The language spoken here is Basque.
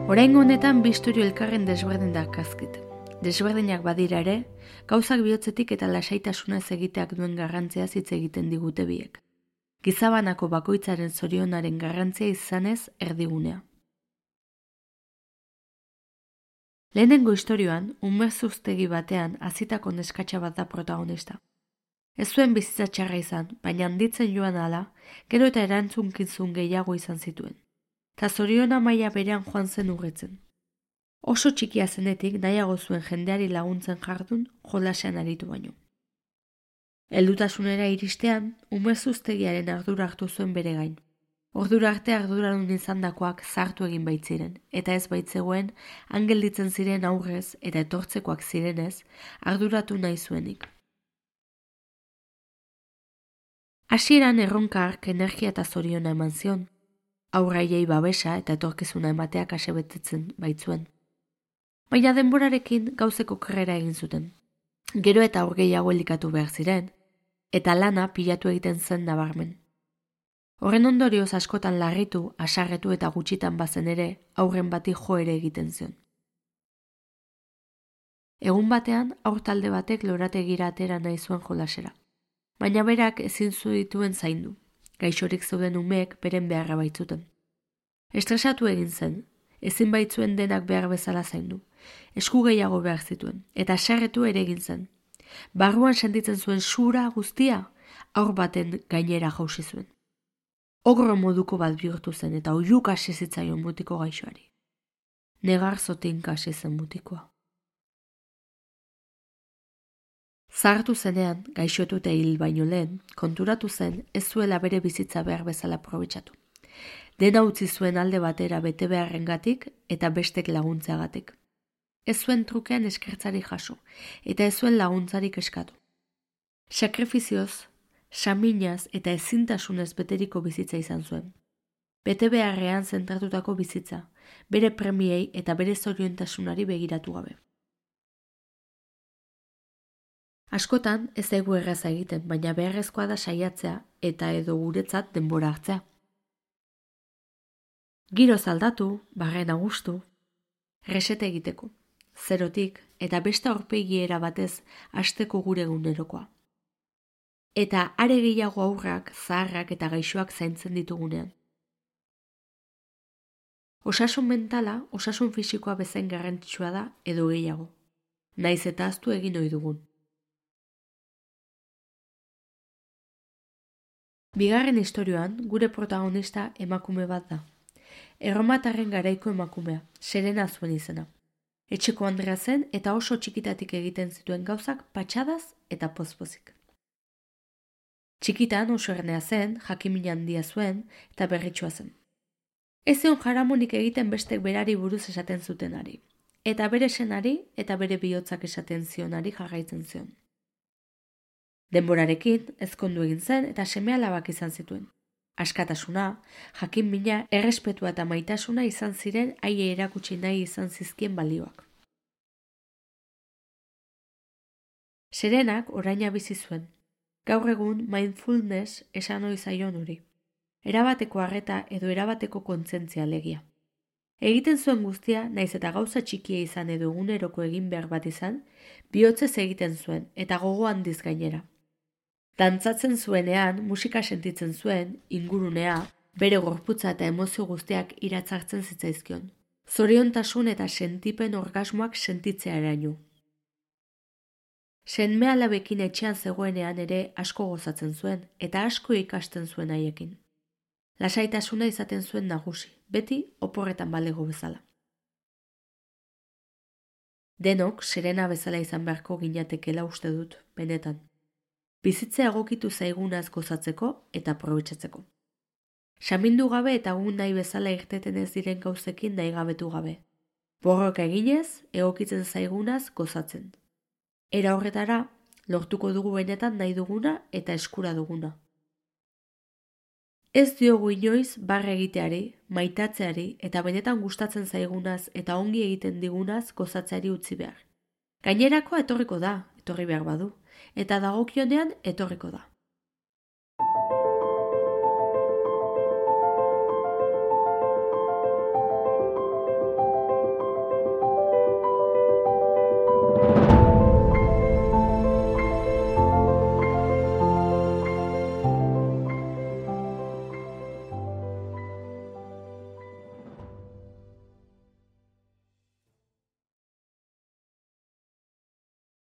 Oraingo honetan bi istorio elkarren desberdin dakazkit. Desberdinak badira ere, gauzak bihotzetik eta lasaitasunez egiteak duen garrantziaz hitz egiten digute biek. Gizabanako bakoitzaren zorionaren garrantzia izanez erdigunea. Lehenengo istorioan, umerzuztegi batean hazitako neskatxa bat da protagonista. Ez zuen bizitza txarra izan, baina handitzen joan ala, gero eta erantzunkizun gehiago izan zituen. Ta zoriona maila berean joan zen urretzen. Oso txikia zenetik nahiago zuen jendeari laguntzen jardun jolasean aritu baino. Heldutasunera iristean, umerzuztegiaren ardura hartu zuen bere gain. Ordura arte arduradun izandakoak zartu egin baitziren, eta ez baitzegoen, gelditzen ziren aurrez eta etortzekoak zirenez, arduratu nahi zuenik. Hasieran erronka hark energia eta zoriona eman zion, aurraiei babesa eta etorkizuna emateak asebetetzen baitzuen. Baina denborarekin gauzeko okerrera egin zuten. Gero eta aur gehiago elikatu behar ziren, eta lana pilatu egiten zen nabarmen. Horren ondorioz askotan larritu, asarretu eta gutxitan bazen ere, aurren bati jo ere egiten zion. Egun batean, aur talde batek lorategira atera nahi zuen jolasera. Baina berak ezin zituen zaindu. Gaixorik zeuden umeek beren beharra baitzuten. Estresatu egin zen, ezin baitzuen denak behar bezala zaindu. Esku gehiago behar zituen, eta asarretu ere egin zen. Barruan sentitzen zuen sura guztia, aur baten gainera jausi zuen. Ogro moduko bat bihurtu zen eta oiuk hasi zitzaion mutiko gaixoari. Negar zotinka hasi zen mutikoa. Zahartu zenean, gaixotu eta hil baino lehen, konturatu zen ez zuela bere bizitza behar bezala aprobetxatu. Dena utzi zuen alde batera bete beharrengatik eta bestek laguntzeagatik. Ez zuen trukean eskertzari jaso, eta ez zuen laguntzarik eskatu. Sakrifizioz, saminaz eta ezintasunez beteriko bizitza izan zuen. Bete beharrean zentratutako bizitza, bere premiei eta bere zoriontasunari begiratu gabe. Askotan ez zaigu erraza egiten, baina beharrezkoa da saiatzea eta edo guretzat denbora hartzea. Giroz aldatu, barrena gustu, resete egiteko, zerotik eta beste aurpegiera batez hasteko gure egunerokoa. Eta are gehiago aurrak, zaharrak eta gaixoak zaintzen ditugunean. Osasun mentala, osasun fisikoa bezain garrantzitsua da edo gehiago. Naiz eta ahaztu egin ohi dugun. Bigarren istorioan, gure protagonista emakume bat da. Erromatarren garaiko emakumea, Serena zuen izena. Etxeko andrea zen eta oso txikitatik egiten zituen gauzak patxadaz eta pozpozik. Txikitan oso ernea zen, jakin-min handia zuen eta berritsua zen. Ez zion jaramonik egiten bestek berari buruz esaten zutenari, eta bere senari eta bere bihotzak esaten zionari jarraitzen zion. Denborarekin ezkondu egin zen eta seme-alabak izan zituen. Askatasuna, jakin-mina, errespetua eta maitasuna izan ziren haie erakutsi nahi izan zizkien balioak. Serenak oraina bizi zuen. Gaur egun mindfulness esan ohi zaion hori. Erabateko harreta edo erabateko kontzientzia alegia. Egiten zuen guztia, naiz eta gauza txikia izan edo eguneroko egin behar bat izan, bihotzez egiten zuen eta gogo handiz gainera. Dantzatzen zuenean, musika sentitzen zuen, ingurunea, bere gorputza eta emozio guztiak iratzartzen zitzaizkion. Zoriontasun eta sentipen orgasmoak sentitzea eraino. Seme-alabekin etxean zegoenean ere asko gozatzen zuen eta asko ikasten zuen haiekin. Lasaitasuna izaten zuen nagusi, beti oporretan balego bezala. Denok Serena bezala izan beharko ginatekela uste dut, benetan. Bizitzea egokitu zaigunaz gozatzeko eta aprobetxatzeko. Samindu gabe eta egun nahi bezala irteten ez diren gauzekin nahi gabetu gabe. Borroka eginez, egokitzen zaigunaz gozatzen. Era horretara, lortuko dugu benetan nahi duguna eta eskura duguna. Ez diogu inoiz barre egiteari, maitatzeari eta benetan gustatzen zaigunaz eta ongi egiten digunaz gozatzeari utzi behar. Gainerakoa etorriko da, etorri behar badu, eta dagokionean etorriko da.